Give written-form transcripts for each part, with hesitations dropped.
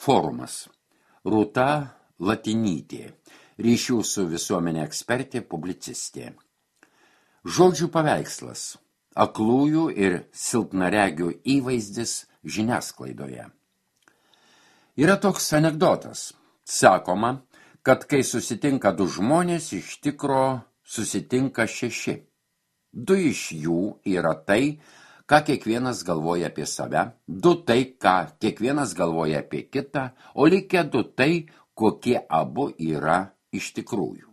Forumas. Rūta Latinytė, ryšių su visuomenė ekspertė, publicistė. Žodžių paveikslas. Aklųjų ir silpnaregių įvaizdis žiniasklaidoje. Yra toks anekdotas. Sakoma, kad kai susitinka du žmonės, iš tikro susitinka 6. 2 iš jų yra tai, ką kiekvienas galvoja apie save, 2 tai, ką kiekvienas galvoja apie kitą, o likę 2 tai, kokie abu yra iš tikrųjų.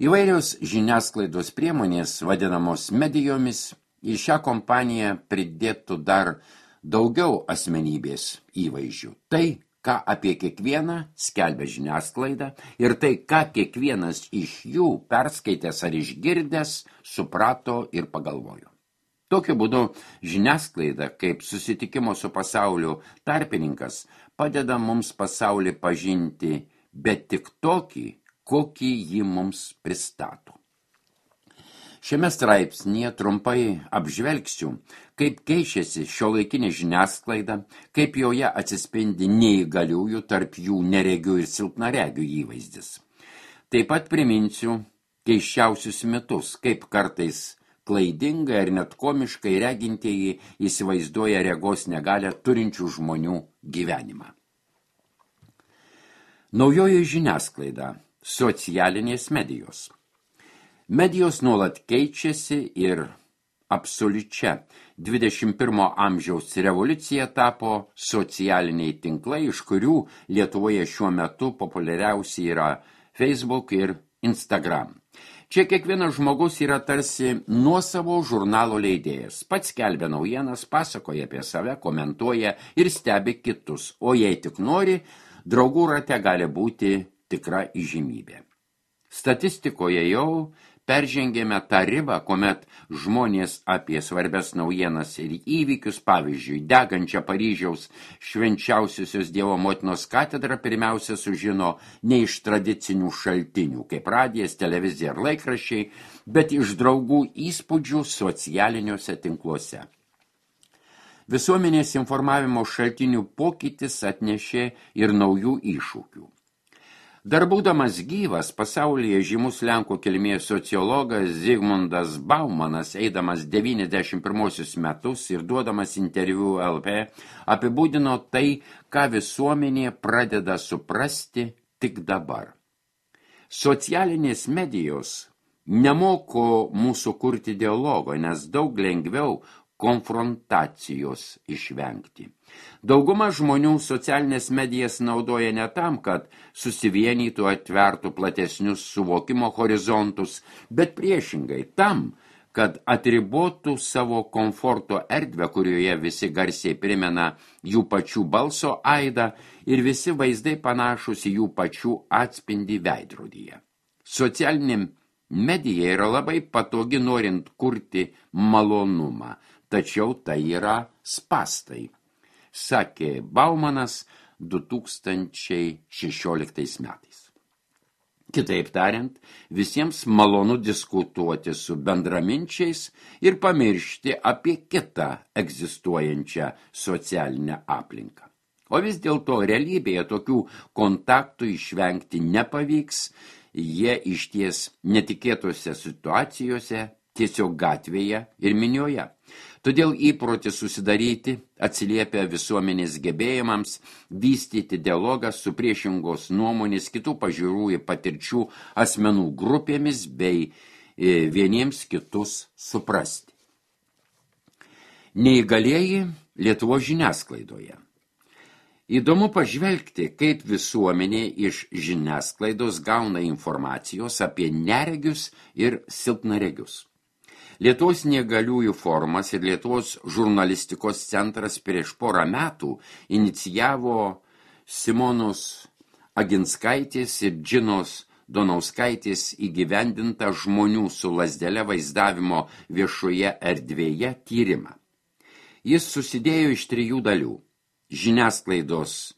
Įvairios žiniasklaidos priemonės, vadinamos medijomis, į šią kompaniją pridėtų dar daugiau asmenybės įvaizdžių. Tai, ką apie kiekvieną skelbia žiniasklaida ir tai, ką kiekvienas iš jų perskaitęs ar išgirdęs, suprato ir pagalvojo. Tokiu būdu žiniasklaida, kaip susitikimo su pasauliu tarpininkas, padeda mums pasaulį pažinti, bet tik tokį, kokį jį mums pristato. Šiame straipsnyje trumpai apžvelgsiu, kaip keičiasi šiuolaikinė žiniasklaida, kaip joje atsispindi neįgaliųjų, tarp jų neregių ir silpnaregių įvaizdis. Taip pat priminsiu keisčiausius mitus, kaip kartais klaidingai ar net komiškai regintieji įsivaizduoja regos negalią turinčių žmonių gyvenimą. Naujoji žiniasklaida. Socialinės medijos. Medijos nuolat keičiasi ir absoliučia 21 amžiaus revoliucija tapo socialiniai tinklai, iš kurių Lietuvoje šiuo metu populiariausi yra Facebook ir Instagram. Čia kiekvienas žmogus yra tarsi nuosavo žurnalo leidėjas. Pats skelbia naujienas, pasakoja apie save, komentuoja ir stebi kitus, o jei tik nori, draugų rate gali būti tikra įžymybė. Statistikoje jau peržengėme tą ribą, kuomet žmonės apie svarbias naujienas ir įvykius, pavyzdžiui, degančią Paryžiaus švenčiausiosios Dievo motinos katedrą pirmiausia sužino ne iš tradicinių šaltinių, kaip radijas, televizija ar laikraščiai, bet iš draugų įspūdžių socialiniuose tinkluose. Visuomenės informavimo šaltinių pokytis atnešė ir naujų iššūkių. Dar būdamas gyvas, pasaulyje žymus Lenkų kilmės sociologas Zygmundas Baumanas, eidamas 91 metus ir duodamas interviu LP, apibūdino tai, ką visuomenė pradeda suprasti tik dabar. Socialinės medijos nemoko mūsų kurti dialogo, nes daug lengviau konfrontacijos išvengti. Dauguma žmonių socialinės medijas naudoja ne tam, kad susivienytų, atvertų platesnius suvokimo horizontus, bet priešingai tam, kad atribotų savo komforto erdvę, kurioje visi garsiai primena jų pačių balso aidą ir visi vaizdai panašus į jų pačių atspindį veidrodyje. Socialinė medija yra labai patogi norint kurti malonumą, tačiau tai yra spastai, sakė Baumanas 2016 metais. Kitaip tariant, visiems malonu diskutuoti su bendraminčiais ir pamiršti apie kitą egzistuojančią socialinę aplinką. O vis dėlto realybėje tokių kontaktų išvengti nepavyks, jie išties netikėtose situacijose, tiesiog gatvėje ir minioje. Todėl įprotis susidaryti atsiliepia visuomenės gebėjimams vystyti dialogą su priešingos nuomonės, kitų pažiūrų ir patirčių asmenų grupėmis bei vieniems kitus suprasti. Neįgalieji Lietuvos žiniasklaidoje. Įdomu pažvelgti, kaip visuomenė iš žiniasklaidos gauna informacijos apie neregius ir silpnaregius. Lietuvos neįgaliųjų forumas ir Lietuvos žurnalistikos centras prieš porą metų inicijavo Simonos Aginskaitės ir Džinos Donauskaitės įgyvendintą žmonių su lazdele vaizdavimo viešoje erdvėje tyrimą. Jis susidėjo iš 3 dalių – žiniasklaidos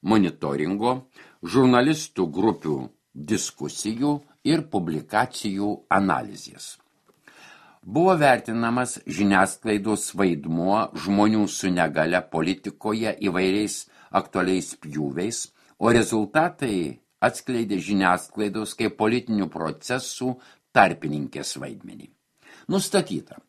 monitoringo, žurnalistų grupių diskusijų ir publikacijų analizės. Buvo vertinamas žiniasklaidos vaidmuo žmonių su negalia politikoje įvairiais aktualiais pjūviais, o rezultatai atskleidė žiniasklaidos kaip politinių procesų tarpininkės vaidmenį. Nustatyta,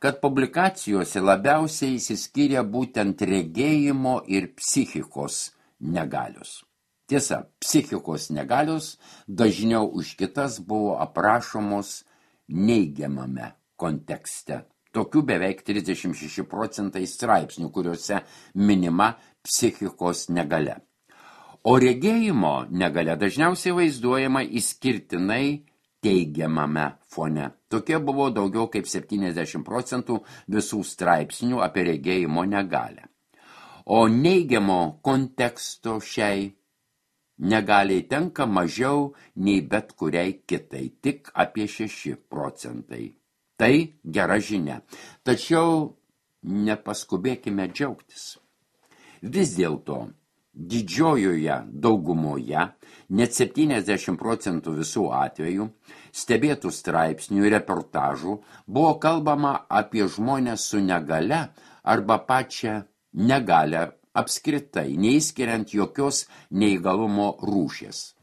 kad publikacijose labiausiai išsiskyrė būtent regėjimo ir psichikos negalios. Tiesa, psichikos negalios dažniau už kitas buvo aprašomos neigiamame kontekste. Tokių beveik 36% straipsnių, kuriuose minima psichikos negalia. O regėjimo negalia dažniausiai vaizduojama išskirtinai teigiamame fone. Tokie buvo daugiau kaip 70% visų straipsnių apie regėjimo negalią. O neigiamo konteksto šiai negaliai tenka mažiau nei bet kuriai kitai, tik apie 6%. Tai gera žinia. Tačiau nepaskubėkime džiaugtis. Vis dėlto didžiojoje daugumoje, net 70% visų atvejų, stebėtų straipsnių ir reportažų buvo kalbama apie žmones su negalia arba pačią negalią apskritai, neįskiriant jokios neįgalumo rūšies.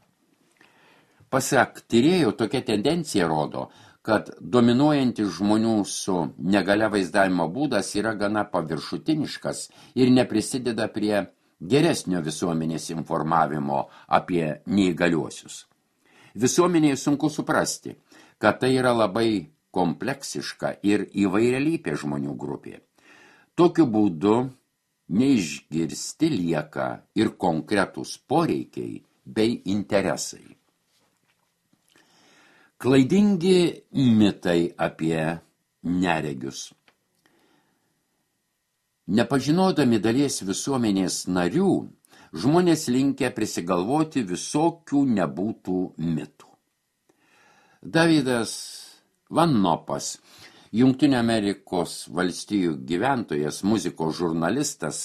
Pasak tyrėjų, tokia tendencija rodo, kad dominuojantis žmonių su negalia vaizdavimo būdas yra gana paviršutiniškas ir neprisideda prie geresnio visuomenės informavimo apie neįgaliuosius. Visuomenėje sunku suprasti, kad tai yra labai kompleksiška ir įvairialypė žmonių grupė. Tokiu būdu neišgirsti lieka ir konkretūs poreikiai bei interesai. Klaidingi mitai apie neregius. Nepažinodami dalies visuomenės narių, žmonės linkę prisigalvoti visokių nebūtų mitų. Davidas Van Nopas, Jungtinių Amerikos valstijų gyventojas, muzikos žurnalistas,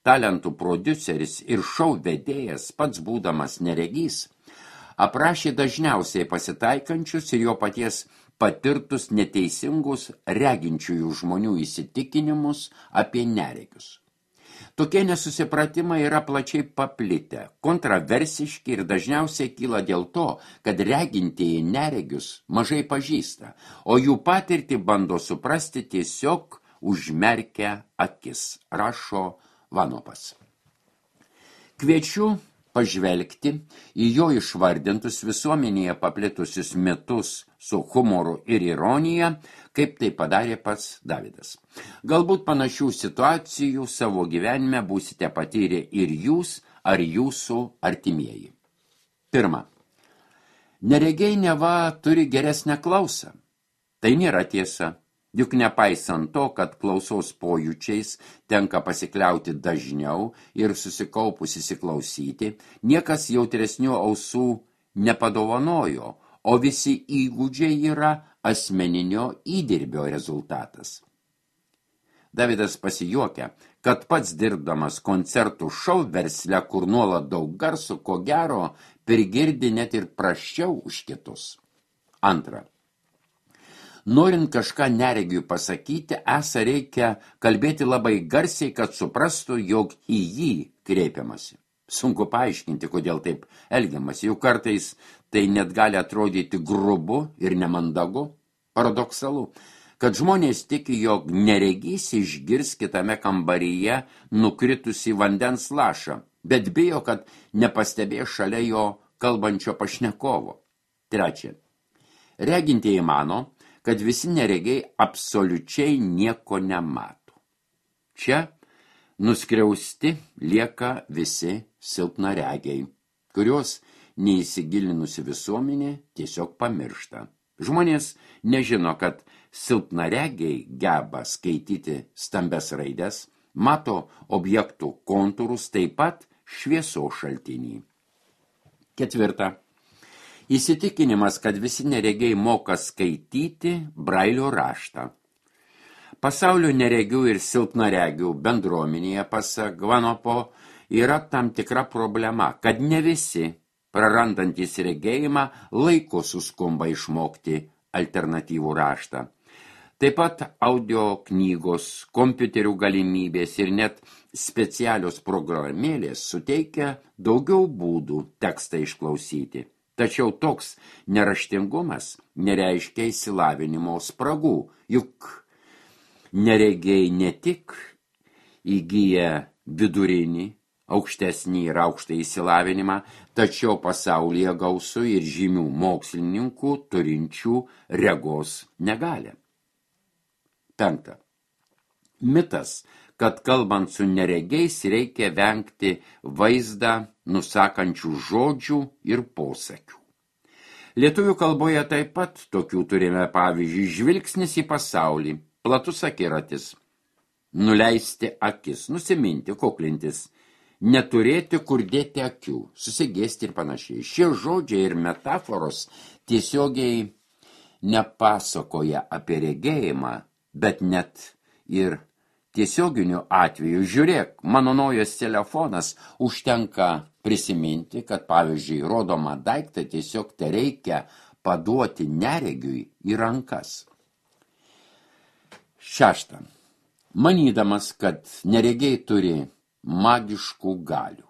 talentų prodiuseris ir šou vedėjas, pats būdamas neregys, aprašė dažniausiai pasitaikančius ir jo paties patirtus neteisingus reginčiųjų žmonių įsitikinimus apie neregius. Tokie nesusipratimai yra plačiai paplitę, kontroversiški ir dažniausiai kyla dėl to, kad regintieji neregius mažai pažįsta, o jų patirtį bando suprasti tiesiog užmerkę akis, rašo Vanopas. Kviečiu pažvelgti į jo išvardintus visuomenėje paplitusius mitus su humoru ir ironija, kaip tai padarė pats Davidas. Galbūt panašių situacijų savo gyvenime būsite patyrę ir jūs ar jūsų artimieji. Pirma. Neregiai neva turi geresnę klausą. Tai nėra tiesa. Juk nepaisant to, kad klausos pojūčiais tenka pasikliauti dažniau ir susikaupus įsiklausyti, niekas jautresnių ausų nepadovanojo, o visi įgūdžiai yra asmeninio įdirbio rezultatas. Davidas pasijuokia, kad pats dirbdamas koncertų šou versle, kur nuolat daug garso, ko gero, prigirdi net ir prasčiau už kitus. Antra. Norint kažką neregiui pasakyti, reikia kalbėti labai garsiai, kad suprastų, jog į jį kreipiamasi. Sunku paaiškinti, kodėl taip elgiamasi. Juk kartais tai net gali atrodyti grubu ir nemandagu, paradoksalu, kad žmonės tiki, jog neregys išgirs kitame kambaryje nukritusi vandens lašą, bet bijo, kad nepastebės šalia jo kalbančio pašnekovo. Trečia. Regintieji mano, kad visi neregiai absoliučiai nieko nemato. Čia nuskriausti lieka visi silpnaregiai, kurios neįsigilinusi visuomenė tiesiog pamiršta. Žmonės nežino, kad silpnaregiai geba skaityti stambes raides, mato objektų kontūrus, taip pat šviesos šaltinį. Ketvirta. Įsitikinimas, kad visi neregiai moka skaityti brailio raštą. Pasaulio neregių ir silpnaregių bendruomenėje, pasak Vanopo, yra tam tikra problema, kad ne visi, prarandantys regėjimą, laiku suskumba išmokti alternatyvų raštą. Taip pat audio knygos, kompiuterių galimybės ir net specialios programėlės suteikia daugiau būdų tekstą išklausyti. Tačiau toks neraštingumas nereiškia išsilavinimo spragų, juk neregiai ne tik įgyja vidurinį, aukštesnį ir aukštą išsilavinimą, tačiau pasaulyje gausu ir žymių mokslininkų turinčių regos negalią. 5. Mitas, kad kalbant su neregiais reikia vengti vaizdą nusakančių žodžių ir posakių. Lietuvių kalboje taip pat tokių turime pavyzdžiui žvilgsnis į pasaulį, platus akiratis, nuleisti akis, nusiminti, kuklintis, neturėti kur dėti akių, susigėsti ir panašiai. Šie žodžiai ir metaforos tiesiogiai nepasakoja apie regėjimą, bet net ir tiesioginiu atveju, žiūrėk, mano naujas telefonas, užtenka prisiminti, kad pavyzdžiui rodomą daiktą tiesiog tereikia paduoti neregiui į rankas. 6. Manydamas, kad neregiai turi magiškų galių.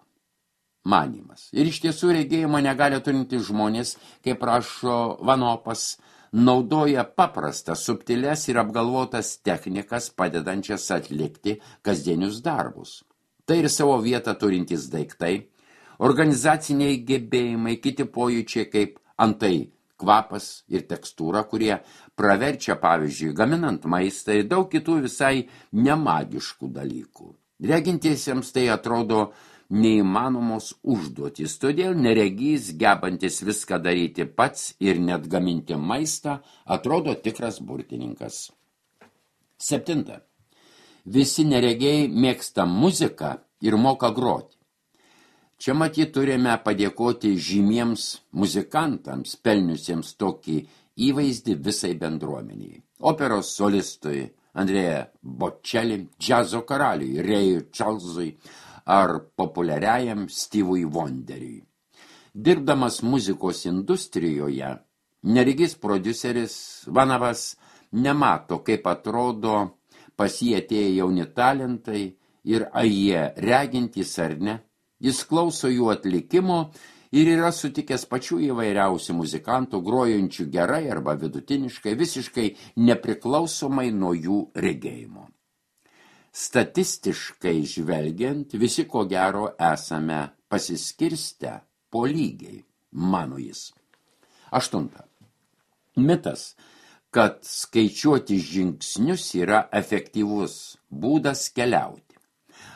Manimas. Ir iš tiesų regėjimo negali turinti žmonės, kaip rašo Vanopas, naudoja paprastas, subtiles ir apgalvotas technikas, padedančias atlikti kasdienius darbus. Tai ir savo vietą turintys daiktai, organizaciniai gebėjimai, kiti pojūčiai kaip antai kvapas ir tekstūra, kurie praverčia, pavyzdžiui, gaminant maistą ir daug kitų visai nemagiškų dalykų. Regintiesiems tai atrodo neįmanomos užduotys, todėl neregys, gebantis viską daryti pats ir net gaminti maistą, atrodo tikras burtininkas. 7. Visi neregiai mėgsta muziką ir moka groti. Čia matyt turime padėkoti žymiems muzikantams, pelniusiems tokį įvaizdį visai bendruomeniai. Operos solistui Andrea Bocelli, džiazo karaliui Ray Charlesui ar populiariajam Stevui Wonderiui. Dirbdamas muzikos industrijoje, neregys prodiuseris Vanavas nemato, kaip atrodo pas jį atėję jauni talentai ir ar jie regintys ar ne. Jis klauso jų atlikimo ir yra sutikęs pačių įvairiausių muzikantų, grojančių gerai arba vidutiniškai, visiškai nepriklausomai nuo jų regėjimo. Statistiškai žvelgiant, visi ko gero esame pasiskirstę po lygiai, mano jis. 8. Mitas, kad skaičiuoti žingsnius yra efektyvus būdas keliauti.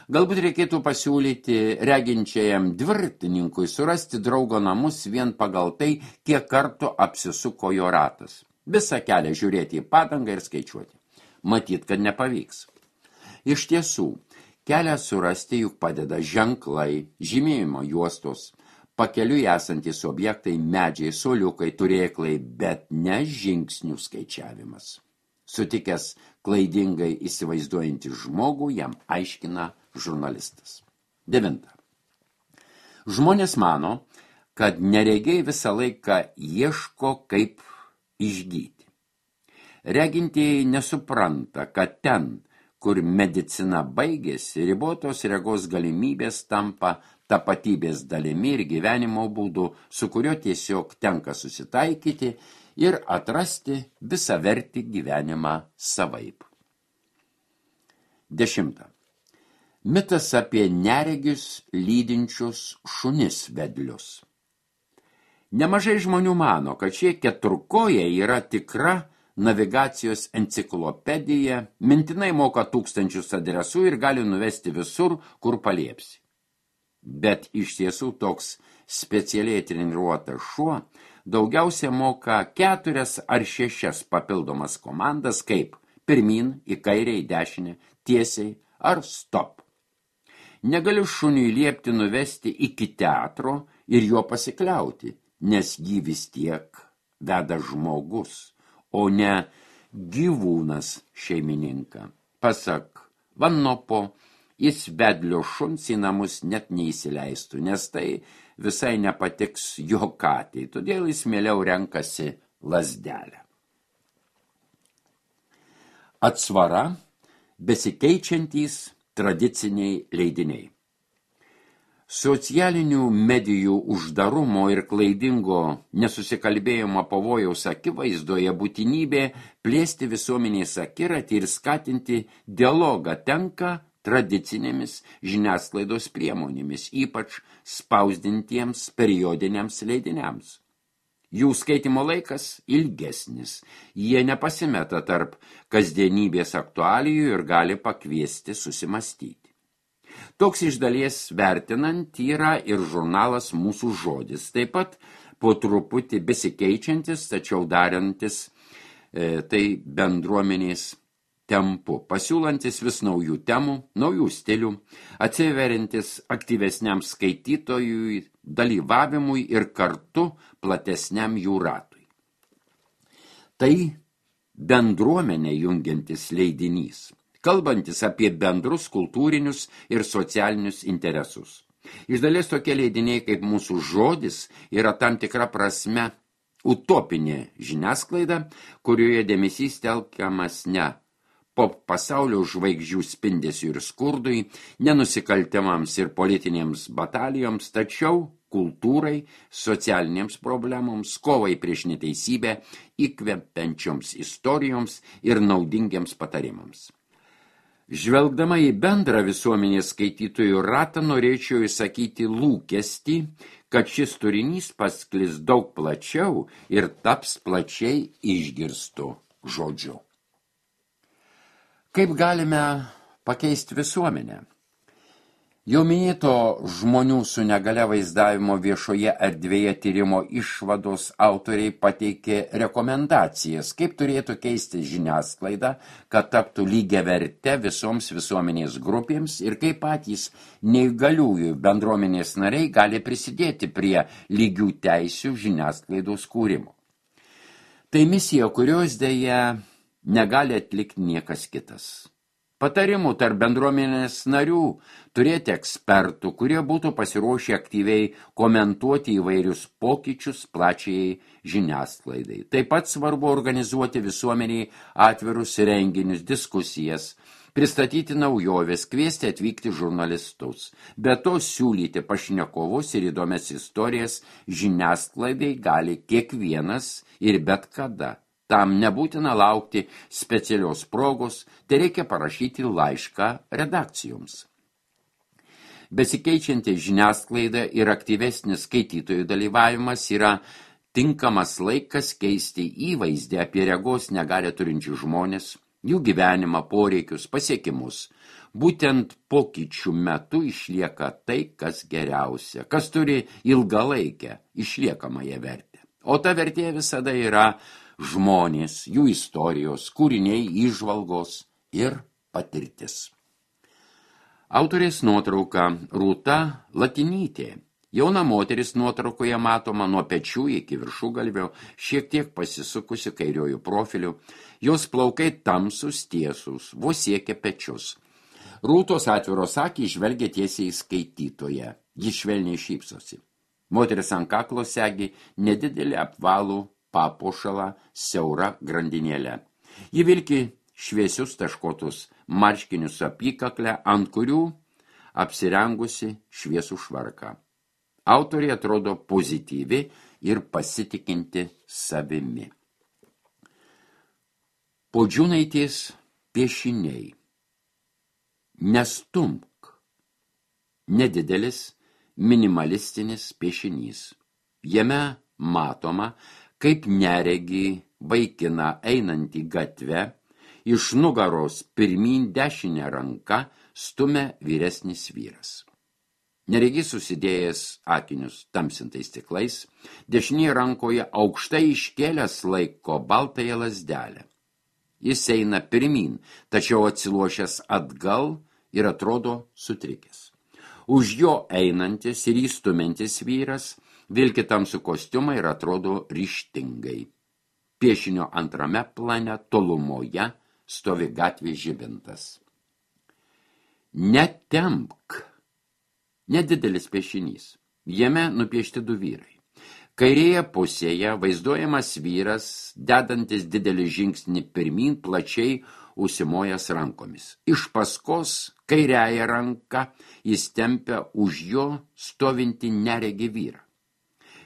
Galbūt reikėtų pasiūlyti reginčiajam dviratininkui surasti draugo namus vien pagal tai, kiek kartų apsisuko jo ratas. Visą kelią žiūrėti į padangą ir skaičiuoti. Matyt, kad nepavyks. Iš tiesų, kelią surasti juk padeda ženklai, žymėjimo juostos, pakeliui esantys objektai, medžiai, suoliukai, turėklai, bet ne žingsnių skaičiavimas. Sutikęs klaidingai įsivaizduojantį žmogų, jam aiškina žurnalistas. 9. Žmonės mano, kad neregiai visą laiką ieško, kaip išgyti. Regintieji nesupranta, kad ten, kur medicina baigėsi, ribotos regos galimybės tampa tapatybės dalimi ir gyvenimo būdu, su kuriuo tiesiog tenka susitaikyti ir atrasti visavertį gyvenimą savaip. 10. Mitas apie neregius lydinčius šunis vedlius. Nemažai žmonių mano, kad šie keturkojai yra tikra navigacijos enciklopedija, mintinai moka tūkstančius adresų ir gali nuvesti visur, kur paliepsi. Bet iš tiesų toks specialiai treniruotas šuo daugiausia moka 4 ar 6 papildomas komandas, kaip pirmyn, į kairę, į dešinę, tiesiai ar stop. Negali šuniui liepti nuvesti iki teatro ir juo pasikliauti, nes jį vis tiek veda žmogus, o ne gyvūnas šeimininką. Pasak Vanopo, jis vedlio šuns į namus net neįsileistų, nes tai visai nepatiks jo katei, todėl jis mieliau renkasi lazdelę. Atsvara – besikeičiantys tradiciniai leidiniai. Socialinių medijų uždarumo ir klaidingo nesusikalbėjimo pavojaus akivaizdoje būtinybė plėsti visuomenės akiratį ir skatinti dialogą tenka tradicinėmis žiniasklaidos priemonėmis, ypač spausdintiems periodiniams leidiniams. Jų skaitimo laikas ilgesnis, jie nepasimeta tarp kasdienybės aktualijų ir gali pakviesti susimastyti. Toks iš dalies vertinant yra ir žurnalas Mūsų žodis, taip pat po truputį besikeičiantis, tačiau darantis tai bendruomenės tempu, pasiūlantis vis naujų temų, naujų stilių, atsiveriantis aktyvesniam skaitytojui dalyvavimui ir kartu platesniam jų ratui. Tai bendruomenę jungiantis leidinys, kalbantis apie bendrus kultūrinius ir socialinius interesus. Iš dalies tokie leidiniai kaip Mūsų žodis yra tam tikra prasme utopinė žiniasklaida, kurioje dėmesys telkiamas ne pop pasaulio žvaigždžių spindesiui ir skurdui, nenusikaltimams ir politinėms batalijoms, tačiau kultūrai, socialinėms problemoms, kovai prieš neteisybę, įkvepiančioms istorijoms ir naudingiams patarimams. Žvelgdama į bendrą visuomenės skaitytojų ratą, norėčiau įsakyti lūkestį, kad šis turinys pasklis daug plačiau ir taps plačiai išgirstu žodžiu. Kaip galime pakeisti visuomenę? Jau minėto žmonių su negalia vaizdavimo viešoje erdvėje tyrimo išvados autoriai pateikė rekomendacijas, kaip turėtų keisti žiniasklaida, kad taptų lygiaverte visoms visuomenės grupėms ir kaip patys neįgaliųjų bendruomenės nariai gali prisidėti prie lygių teisių žiniasklaidos kūrimo. Tai misija, kurios dėja negali atlikti niekas kitas. Patarimų tarp bendruomenės narių turėti ekspertų, kurie būtų pasiruošę aktyviai komentuoti įvairius pokyčius plačiai žiniasklaidai. Taip pat svarbu organizuoti visuomeniai atvirus renginius, diskusijas, pristatyti naujoves, kviesti atvykti žurnalistus. Be to siūlyti pašnekovus ir įdomias istorijas žiniasklaidai gali kiekvienas ir bet kada. Tam nebūtina laukti specialios progos, tai reikia parašyti laišką redakcijoms. Besikeičianti žiniasklaida ir aktyvesnis skaitytojų dalyvavimas yra tinkamas laikas keisti įvaizdį apie regos negalią turinčių žmonės, jų gyvenimą, poreikius, pasiekimus. Būtent pokyčių metu išlieka tai, kas geriausia, kas turi ilgalaikę išliekamąją vertę. O ta vertė visada yra žmonės, jų istorijos, kūriniai, įžvalgos ir patirtis. Autorės nuotrauka Rūta Latinytė. Jauna moteris nuotraukoje matoma nuo pečių iki viršugalvio, šiek tiek pasisukusi kairiojų profiliu, jos plaukai tamsus tiesūs, vos siekia pečius. Rūtos atviros akys žvelgia tiesiai į skaitytoją, ji švelniai šypsosi. Moteris ant kaklo segi nedidelį apvalų papuošalą siaura grandinėlę. Ji vilki šviesius taškotus marškinius apykaklę, ant kurių apsirengusi šviesų švarką. Autorė atrodo pozityvi ir pasitikinti savimi. Podžiūnaitės piešiniai. Nestumk. Nedidelis, minimalistinis piešinys. Jame matoma, kaip neregį vaikiną einantį gatvę, iš nugaros pirmyn dešinę ranką stumia vyresnis vyras. Neregys susidėjęs akinius tamsintais stiklais, dešinėje rankoje aukštai iškėlęs laiko baltąją lazdelę. Jis eina pirmyn, tačiau atsilošęs atgal ir atrodo sutrikęs. Už jo einantis ir įstumiantis vyras vilki tamsų kostiumą ir atrodo ryžtingai. Piešinio antrame plane tolumoje stovi gatvės žibintas. Netempk. Nedidelis piešinys. Jame nupiešti du vyrai. Kairėje pusėje vaizduojamas vyras, dedantis didelį žingsnį pirmyn, plačiai užsimojęs rankomis. Iš paskos kairiąją ranką jis tempia už jo stovinti neregį vyrą.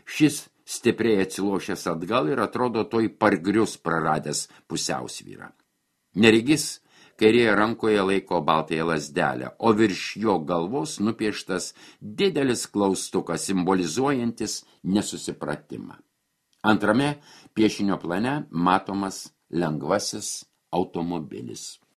Šis stipriai atsilošęs atgal ir atrodo toj pargrius praradęs pusiausvyrą. Neregys kairėje rankoje laiko baltąją lazdelę, o virš jo galvos nupieštas didelis klaustukas, simbolizuojantis nesusipratimą. Antrame piešinio plane matomas lengvasis automobilis.